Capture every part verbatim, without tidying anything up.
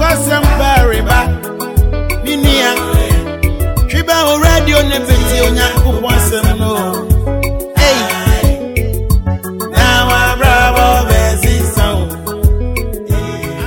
Nkwasɛm pareba. Me nua, twi bɛ wo radio ne bɛtie Onyankopɔn asɛm no. Ei, na wabrabɔ bɛsesa wo.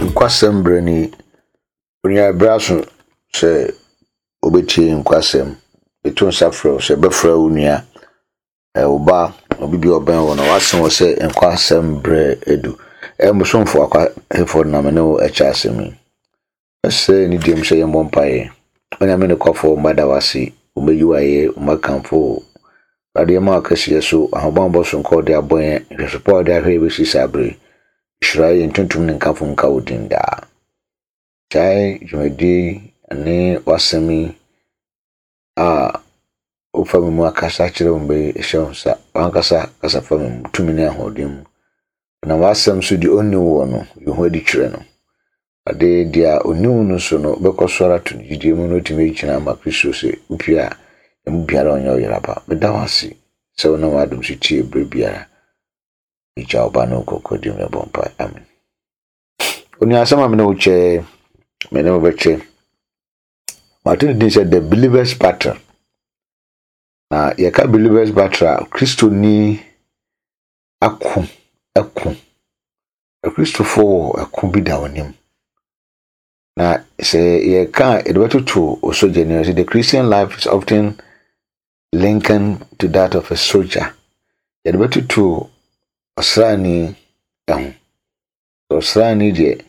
Nkwasɛm berɛ ni. Onua berɛ aso sɛ wobɛtie nkwasɛm. Ɛto nsa frɛ wo sɛ bɛfrɛ wo nua, wo ba, obi bi a ɔbɛn wo na wase wo sɛ nkwasɛm berɛ adu. Ɛyɛ mosomfo Akwa na me ne wo ɛkyɛ asɛm yi. Ɛsɛ ne diem sɛ yɛmmɔ mpaeɛ. Onyame ne kɔfoɔ mmada wase, wɔmɛyi wo ayɛ, wɔmɛkamfo wo. Awurade yɛma wo kɛseɛ so, ahobammɔ so nkɔ wode abɔ yɛn, nhwɛso pa a wode ahwɛ yɛbɛsi saa bere. Hyira yɛn tuntum ne nkamfo nka wo din daa. Gyae dwumadie ne w'asɛm yi a wofa me mu akasa kyerɛ wo mbɛ hyɛ wo nsa. Wankasa kasa fa me mu tumi ne ahoɔden mu. Na w'asɛm so deɛ ɔnni wo no, yi ho adi kyerɛ no. Ade deɛ a ɔnni wo no so no, wobɛkɔ so ara to gyidie mu na wotumi agyina ama Kristo sɛ wopie a, emu biara ɔnyɛ wo yeraba. Meda wo ase sɛ wonam w'adom so tie berɛ biara. Agya wo ba ne wo kɔkɔ dim ne bɔ mpae. Amen. Onua asɛm a me ne wo kyɛ, me ne wo bɛkyɛ. Mato ne din sɛ The Believer's Battle. Na yɛka Believer's Battle a, Kristoni ako ɛko. Akristofoɔ wɔ ɛko bi da wɔn anim. Na sɛ yɛka a, yɛde bɛtoto osogyani sɛ the Christian life is often likened to that of a soldier. Yɛde bɛtoto ɔsraani ho. Ɔsraani deɛ,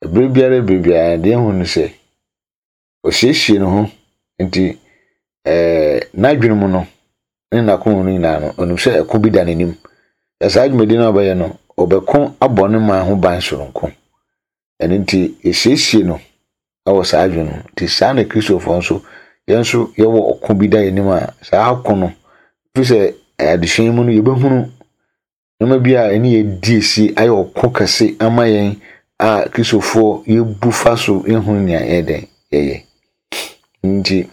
ɛberɛ biara berɛ biara deɛ ɛhu no sɛ ɔsiesie ne ho nti ɛɛ n'adwene mu no ne n'akoma mu no nyinaa no, ɔnim sɛ ɛko bi da n'anim. Na saa dwumadi no a ɔbɛyɛ no, ɔbɛko abɔ ne man ho ban soronko. Ɛno nti, yɛsiesie no wɔ saa adwene no. Nti saa na Kristofoɔ nso, yɛn nso yɛwɔ ɔko bi da yɛn anim a saa ɔko no, ɛfiri sɛ adesua yi mu no, yɛbɛhunu nneɛma bi a ɛne yɛdi esi ayɛ ɔko kɛse ama yɛn a Kristofoɔ yɛbu fa so yɛhunu nea yɛyɛ dɛn yɛyɛ. Nti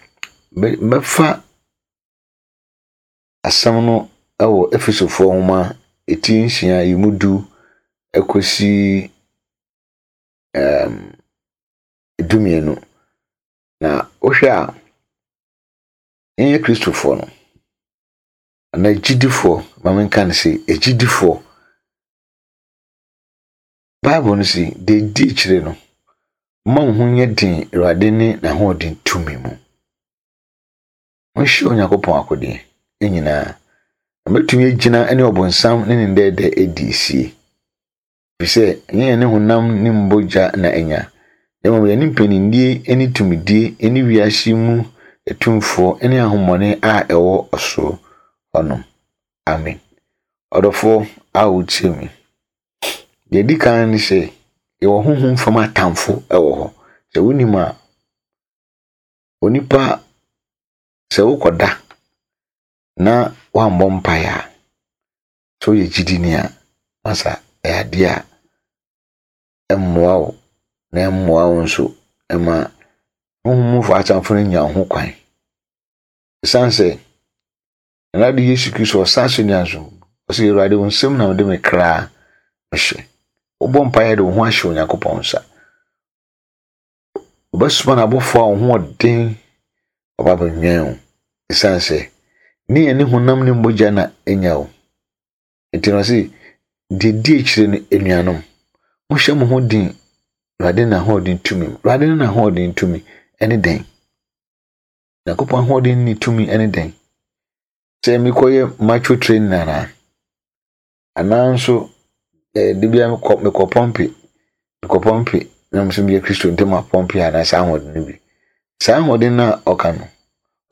mɛfa asɛm no wɔ Efesofoɔ nwoma eti nsia yi mu du kɔsi um, dumienu. Na wohwɛ a, yɛnyɛ Kristofoɔ no, anaa agyidifoɔ, ma menka no sɛ agyidifoɔ. Bible no si, deɛ ɛdi akyire no, mma wo ho nyɛ den Awurade ne n'ahoɔden tumi mu. Monhyɛ Onyankopɔn akodeɛ nyinaa. Na mɛtumi agyina ne ɔbonsam ne ne ndɛɛdɛ adi esie. Ɛfiri sɛ, ɛnyɛ yɛne honam ne mbogya na anya, na mmom yɛne mpanindie ne tumidie ne wiase mu atumfoɔ ne ahonhommɔne a ɛwɔ ɔsoro hɔnom. Amen. Ɔdɔfoɔ a wotie me, deɛ ɛdi kan ne sɛ, yɛwɔ honhom fam atamfo wɔ hɔ. Sɛ wonim a, onipa sɛ wokɔda na woammɔ mpaeɛ a, sɛ woyɛ gyidini a, masa ɛyɛ adeɛ a ɛmmoa wo na ɛmmoa wo nso ɛma honhom mufo atamfo no nya wo ho kwan. Ɛsiane sɛ Awurade Yesu Kristo ɔsan so nua so, ɔsɛ Awurade wo nsam na mede me kra mehyɛ. Wobɔ mpaeɛ de wo ho ahyɛ Onyankopɔn nsa. Wobɛsoma n'abɔfoɔ a wo ho ɔden ɔba bɛnwɛn wo. Ɛsiane sɛ ne yɛne honam ne mogya na anya wo. Nti no ɔse, deɛ di akyire no, anuanom, monhyɛ mo ho den Awurade n'ahoɔden tumi mu. Awurade ne n'ahoɔden tumi ɛne dɛn? Nyankopɔn ahoɔden ne tumi ɛne dɛn? Sɛ mekɔyɛ macho training anaa? Anaa nso ɛɛ de bia mekɔ mekɔ pump, mekɔ pump na mo nso meyɛ Kristo ntam apump anaa saa ahoɔden no bi. Saa ahoɔden no a ɔka no,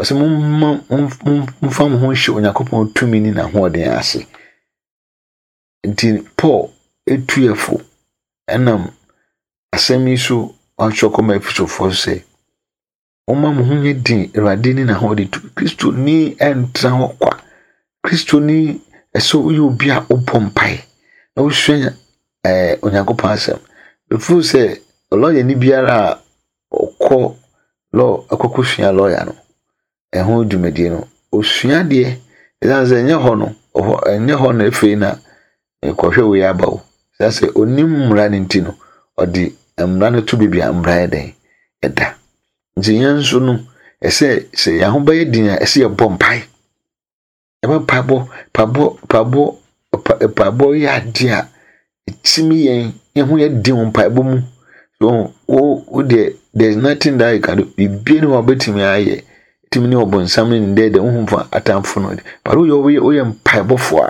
ɔsɛ momma momfa mo ho nhyɛ Onyankopɔn tumi ne n'ahoɔden ase. Nti Paul etu yɛ fo ɛnam asɛm yi so ɔatwerɛ kɔma Efesofoɔ sɛ momma mo ho nyɛ den Awurade ne n'ahoɔden tumi. Kristoni ɛntena hɔ kwa. Kristoni ɛsɛ woyɛ obi a wobɔ mpae na wosua ɛɛ Onyankopɔn asɛm. Before sɛ lɔyani biara a ɔkɔ law akɔkɔsua lawyer no, ɛho dwumadie no, osua adeɛ. Ɛsiane sɛ ɛnyɛ hɔ no, ɔhɔ ɛnyɛ hɔ na afei na nkɔhwɛ wei aba o. Ɛsiane sɛ onim mmara no nti no, ɔde Mmara no to baabi a mmara yɛ dɛn ɛda. Nti yɛn nso no, ɛsɛ sɛ yɛn ho bɛyɛ den a, ɛsɛ yɛbɔ mpae. Ɛbɛ mpaebɔ, mpaebɔ, mpaebɔ, mpaebɔ yɛ adeɛ a ɛtumi yɛn yɛn ho yɛ den wɔ mpaebɔ mu. So wo wo deɛ, there is nothing that you can do. Biribiara ni hɔ a wobɛtumi ayɛ. Tumi ne ɔbɔnsam ne ne dɛɛdɛ wohu fa atamfo no. But woyɛ woyɛ woyɛ mpaebɔfoɔ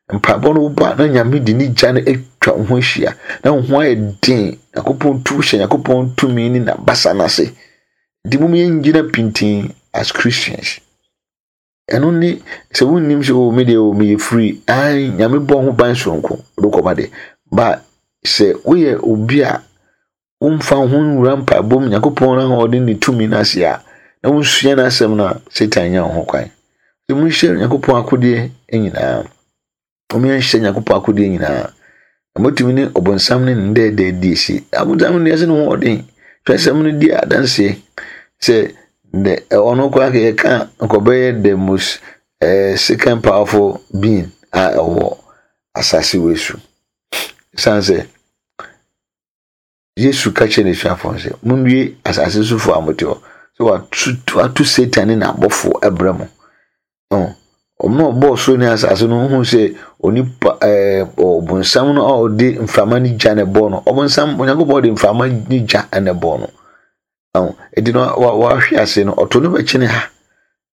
a, mpaebɔ no woba na Nyame de ne gya no atwa wo ho ahyia na wo ho ayɛ den. Nyankopɔn tu hyɛ Nyankopɔn tumi ne n'abasa no ase. Nti mom yɛngyina pintinn as Christians. Ɛno ne sɛ wonnim sɛ o me deɛ o meyɛ free. Ai, Nyame bɔ ho ban soronko wode kɔba de. Ba sɛ woyɛ obi a womfa wo ho nwura mpaebɔ mu, Nyankopɔn ahoɔden ne tumi no ase a, na wonsua n'asɛm no a, Satan nya wo ho kwan. Nti monhyɛ Nyankopɔn akodeɛ nyinaa. Momyɛnhyɛ Nyankopɔn akodeɛ nyinaa. Na motumi ne ɔbɔnsam ne ne dɛɛdɛɛ di asi. Abonsam no deɛ ɛsɛ ne ho ɔden. Twerɛsɛm no di adanseɛ sɛ the ɔno koraa ka yɛka nkɔbɛyɛ the most uh, second powerful being a ɛwɔ asase wei so. Ɛsiane sɛ Yesu ka kyerɛ n'asuafoɔ no sɛ, monnue asase sofoɔ a mote hɔ, sɛ watu watu Satan ne n'abɔfoɔ ɛbrɛ mo. Ɔmo a ɔbɔɔ soro ne asase no, wohu sɛ onipa ɛɛ ɔbonsam no a ɔde mframa ne gya na ɛbɔɔ no. Ɔbonsam, Onyankopɔn de mframa ne gya na ɛbɔɔ no. Enti no wahwe ase no, ɔto no bɛkyene ha,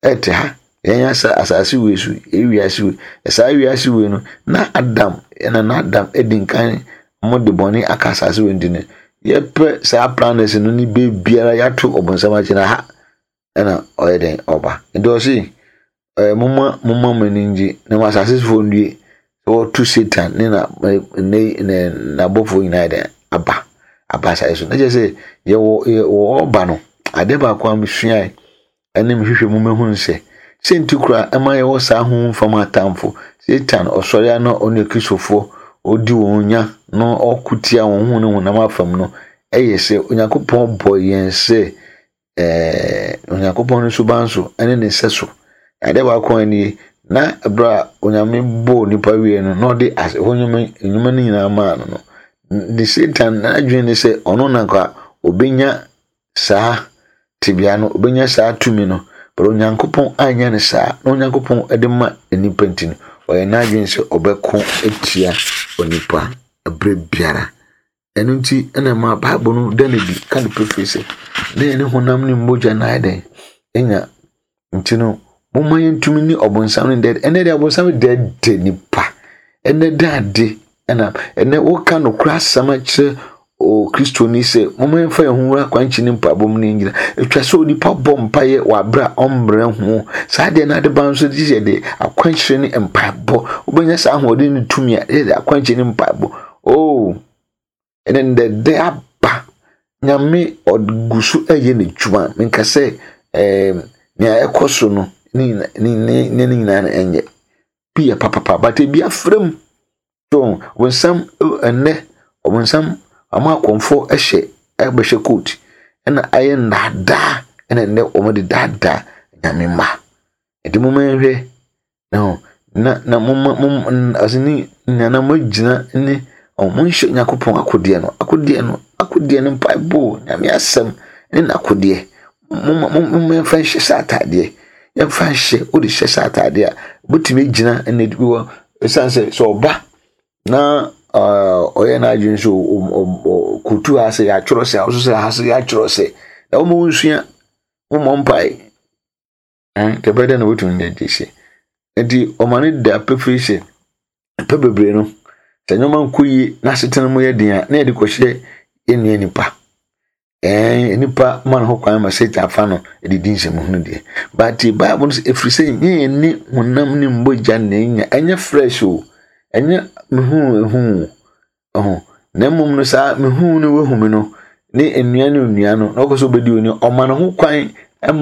ɛte ha. Yɛn asa asase wei so, ewiase wei. Saa wiase wei no, na Adam, ɛna na Adam edi nkan mo de bɔne aka asase wei nti no, yɛpɛ saa planets no ne beebiara yɛato ɔbonsam akyene ha, ɛna ɔyɛ dɛn ɔba. Nti ɔse, ɛɛ momma momma mo ani ngye na mo asase sofoɔ nnue sɛ wɔto Satan ne na ne ne n'abɔfoɔ nyinaa yɛ dɛn aba aba asase so. Na kyerɛ sɛ yɛwɔ yɛwɔ ɔba no, adeɛ baako a mesuae ɛne mehwehwɛ mu mehu sɛ sɛ nti koraa ɛma yɛwɔ saa honhom fam atamfo. Satan ɔsɔre a na ɔne Kristofoɔ ɔdi wɔn nya na ɔko tia wɔn ho ne honam afam no, ɛyɛ sɛ Onyankopɔn bɔ yɛn sɛ ɛɛ Onyankopɔn no suban so ɛne ne nsa so. Adeɛ baako a nie, na ɛberɛ a Onyame bɔɔ nipa wie no, na ɔde as hɔ nnwuma nnwuma no nyinaa maa no no, ne Satan n'adwene ne sɛ ɔno na nka obenya saa tebea no, obenya saa tumi no. But Onyankopɔn anyɛ no saa, na Onyankopɔn de ma nipa nti no, ɔyɛ n'adwene sɛ ɔbɛko atia onipa ɛberɛ biara. Ɛno nti ɛna ma Bible no da no adi ka no pefee sɛ na yɛne honam ne mogya na ayɛ dɛn anya. Nti no, momma yɛntumi ne ɔbonsam ne dɛɛdɛ. Ɛnɛ deɛ ɔbonsam dɛɛdɛ nipa. Ɛnɛ da ade ɛna ɛnɛ woka nokorɛ asɛm akyerɛ o Kristoni sɛ momma yɛmfa yɛn ho nwura akwankyerɛ ne mpaebɔ mu ne yɛngyina. Atwa sɛ onipa bɔ mpaeɛ wɔ abere a ɔmmerɛ ho. Saa deɛ no ade ba nso gye sɛ yɛde akwankyerɛ ne mpaebɔ. Wobɛnya saa ahoɔden ne tumi a yɛde akwankyerɛ ne mpaebɔ. Oh, ɛnɛ ndɛdɛ aba. Nyame ɔgu so ɛyɛ n'adwuma. Menka sɛ ɛɛm nea ɛkɔ so no ne ne ne ne nyinaa no ɛnyɛ. Bi yɛ papapa, but ebi afra mu. So ɔbonsam ɛnɛ ɔbonsam ama akɔmfoɔ ɛhyɛ ɛbɛhyɛ coat ɛna ayɛ nnaadaa ɛna ɛnɛ wɔde daadaa Nyame mma. Nti momma yɛnhwɛ na na na momma mom ɔse ne na moagyina ne monhyɛ Nyankopɔn akodeɛ no, akodeɛ no, akodeɛ no mpaebɔ, Nyame asɛm ne n'akodeɛ. Momma momma yɛmfa nhyɛ sɛ ataadeɛ. Yɛmfa nhyɛ, wode hyɛ sɛ ataadeɛ a, wobɛtumi agyina ɛna bi wɔ ɛsiane sɛ sɛ ɔba na ɔyɛ n'adwene sɛ kotu ha sɛ yɛatwerɛ sɛ, ɔso sɛ ha sɛ yɛatwerɛ sɛ, na wɔma wonsua, wommɔ mpae. Nti ɛbɛyɛ dɛn na wobɛtumi de adi ahyɛ. Nti ɔma no da pefee sɛ mpɛ bebree no, sɛ nneɛma nkɔ yie na asetena mu yɛ den a, na yɛde kɔhyɛ yɛn nua nipa. Ɛɛ nipa ma no ho kwan ma Satan fa no de di nsɛmhunu deɛ. But Bible no sɛ ɛfiri sɛ nyɛ yɛn ne honam ne mogya na ɛnya, ɛnyɛ fresh o, ɛnyɛ mehu ehu o. Na mmom no saa mehu ne wahu me no, ne nnua ne nnua no, na ɔkɔ sɛ ɔbɛdi oni, ɔma ne ho kwan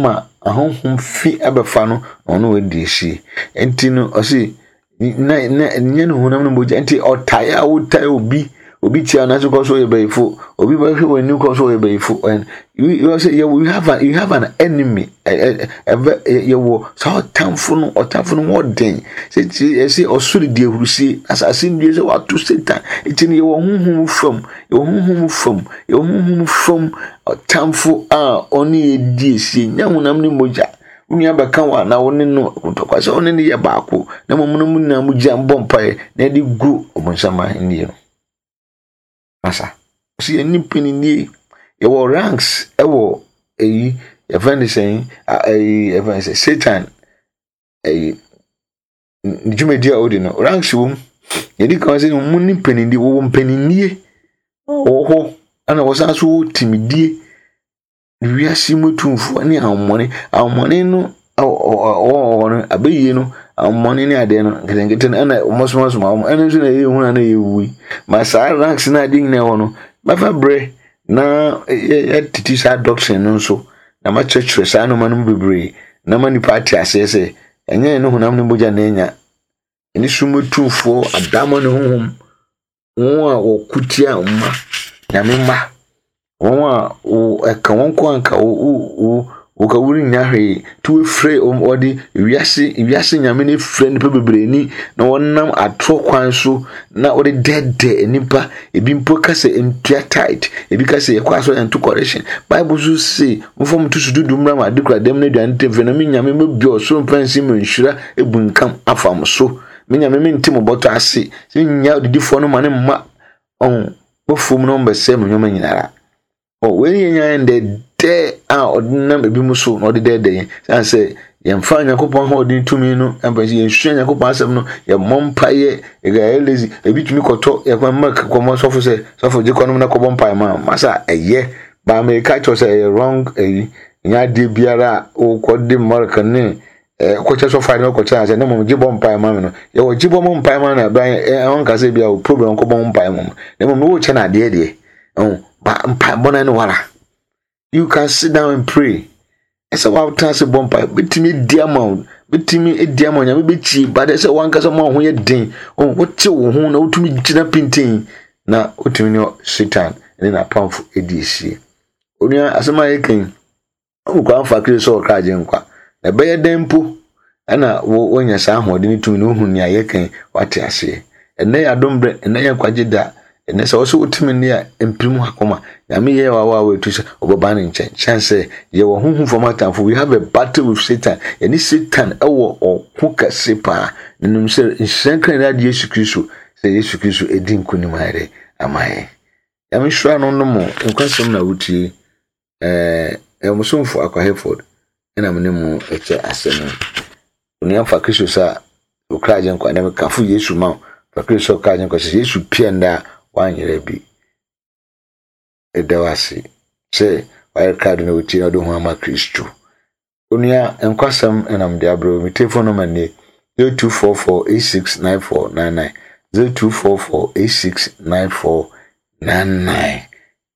ma ahonhom fi ɛbɛfa no na ɔno wadi ahyie. Nti no ɔse na na nyɛ ne honam ne mogya nti ɔtae a wotae obi Obi tia na so kɔ so yɛ bɛyifo. Obi bɛhwɛ wɔ anim kɔ so yɛ bɛyifo. And you you say you have an you have an enemy. Ɛbɛ yɛwɔ saa ɔtamfo no, ɔtamfo no wɔ den. Sɛ ɛsɛ ɔsoro di ahurusie, asase ndue sɛ wato Satan. Nti no yɛwɔ honhom fam, yɛwɔ honhom fam, yɛwɔ honhom fam ɔtamfo a ɔne yɛ di esie. Nyɛ honam ne mogya. Wo nua bɛka wo a na wo ne no ntɔkwa sɛ wo ne no yɛ baako na mmom no mu nyinaa mu gya mbɔ mpaeɛ na ɛde gu ɔbonsam ahenni no. Masa, ɔsɛ yɛn nipa ni nie. Yɛwɔ ranks ɛwɔ ɛyi yɛfrɛ no sɛn, ɛyi yɛfrɛ no sɛ Satan ɛyi ne dwumadi a ɔdi no ranks wɔ mu. Yɛdi kan sɛ mu ne mpanindie, wɔwɔ mpanindie wɔ hɔ, ɛna wɔsan so wɔ timidie. Wiase mu atumfoɔ ne ahomɔne. Ahomɔne no ɔwɔ hɔ no abɛyie no, ahomɔne ne adeɛ no nketenkete no ɛna wɔsomasoma wɔn. Ɛno nso na ɛyɛ hu na ɛyɛ wu yi. Ma saa ranks no adeɛ nyinaa wɔ no, bɛfa berɛ na yɛtete saa doctrine no nso na makyerɛkyerɛ saa nneɛma no mu bebree na ma nipa ate aseɛ sɛ ɛnyɛ ne honam ne mogya na anya. Ɛne sum atumfoɔ, adama ne honhom, wɔn a wɔko tia mma, Nyame mma, wɔn a ɛka wɔn ko anka wo wo wo ka worennya hwee nti wɔafrɛ wɔde wiase wiase Nyame no afrɛ nnipa bebree ni na wɔnam atorɔ kwan so na wɔde dɛɛdɛɛ nnipa. Ebi mpo ka sɛ ntua tithe, ebi ka sɛ yɛkɔ asɔre yɛnto correction. Bible nso se momfa mo to so dudu mmra ma ade kura dɛm no aduane ntam na me Nyame mɛbue ɔsoro mfɛnsee mu nhyira ebunkam afa mo so. Me Nyame mente mo bɔtɔ ase sɛ nnya odidifoɔ no ma ne mma ɔho wɔfom no mbɛsɛe mo nneɛma nyinara. Oh, wei yɛ nyan dɛdɛ a ɔde nam ebi mu so na ɔde dɛdɛ yɛn. San sɛ yɛmfa Nyankopɔn ahoɔden tumi no ɛmfa sɛ yɛnsua Nyankopɔn asɛm no, yɛmmɔ mpaeɛ, yɛyɛ lazy. Ebi tumi kɔtɔ yɛkɔ milk kɔmɔ sɔfo sɛ sɔfo gye kɔnom na kɔbɔ mpaeɛ ma masa ɛyɛ. Ba Amerika kyerɛ sɛ ɛyɛ wrong ɛyi. Nyɛ adeɛ biara a wokɔde milk ne kɔkyɛ sɔfo ade kɔkyɛ asɛ ne mmom gye bɔ mpaeɛ ma me no. Yɛwɔ gye bɔ mo mpaeɛ ma no ɛbɛn ɛwɔn kasa bi a wo problem kɔbɔ mpaeɛ ma mo. Ne mmom wo kyɛ no adeɛ deɛ. Oh, ba mpaebɔ no ne wara. You can sit down and pray. Ɛsɛ w'atena ase bɔ mpae. Bɛtumi adi ama wo. Bɛtumi adi ama wo. Nyame bɛtie. But ɛsɛ wankasa ma wo ho yɛ den. Oh, wote wo ho na wotumi gyina pintin na wotumi ne Satan ne n'apamfo adi esie. Onua, asɛm a yɛka yi, wokɔ amfa Kristo sɛ ɔkra agye nkwa. Na ɛbɛyɛ dɛn mpo ɛna wo wonya saa ahoɔden ne tumi na wohu nea yɛka yi, wate aseɛ. Ɛnnɛ yɛ adom berɛ, ɛnnɛ yɛ nkwagye da. Ɛnnɛ sɛ wɔsɛ wotumi ne a mpirim akoma. Nyame yɛ wa wa wetu sɛ ɔbɛba ne nkyɛn. Kyɛn sɛ yɛwɔ honhom fam atamfo. We have a battle with Satan. Yɛne Satan ɛwɔ ɔko kɛse paa. Nim sɛ nhyira nkran ne ade Yesu Kristo sɛ Yesu Kristo edi nkonim ayɛ dɛ ama yɛn. Nyame nhyira no no mo nkwasɛm na wotie. Ɛɛ ɛmosomfo Akwa Hayford ɛna me ne mo ɛkyɛ asɛm no. Onua fa Kristo sɛ okra agye nkwa na mekafo Yesu ma wo. Fa Kristo sɛ okra agye nkwa sɛ Yesu pia nda a wanyerɛ bi. Ɛda wo ase sɛ wayɛ krado na wotie na wode ho ama Kristo. Onua nkwasɛm ɛnam de abrɛ wo. Me telephone number nie zero two four four eight six nine four nine nine zero two four four eight six nine four nine nine.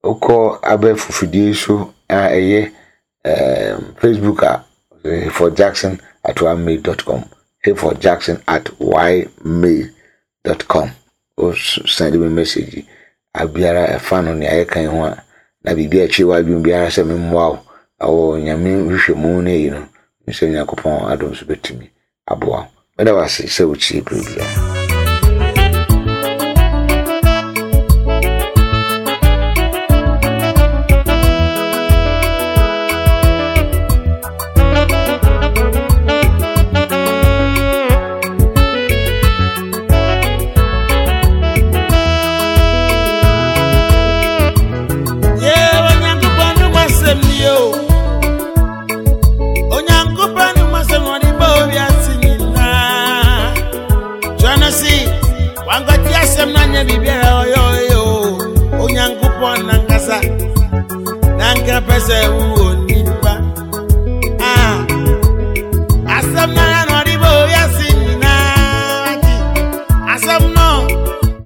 Wokɔ abɛɛfo fidie so a ɛyɛ um, Facebook a Hayford Jackson at ymail dot com, Hayford Jackson at ymail dot com. O send me message abiara ɛfa no nea yɛka yi ho a na biribi a akyire w'adwene biara sɛ memmoa wo ɛwɔ Nyame nhwehwɛmu no yi no, sɛ Nyankopɔn adom so bɛtumi aboa wo. Mɛda wo ase sɛ wotie berɛ biara. Yeah, Onyankopɔn no masɛm ni o. Onyankopɔn no masɛm ɔde bɔ wiase nyinaa. Twerɛ no se, wankɔte asɛm no anyɛ biribiara ɔyɛ ɔyɛ o. Onyankopɔn nankasa, nanka pɛ sɛ wowɔ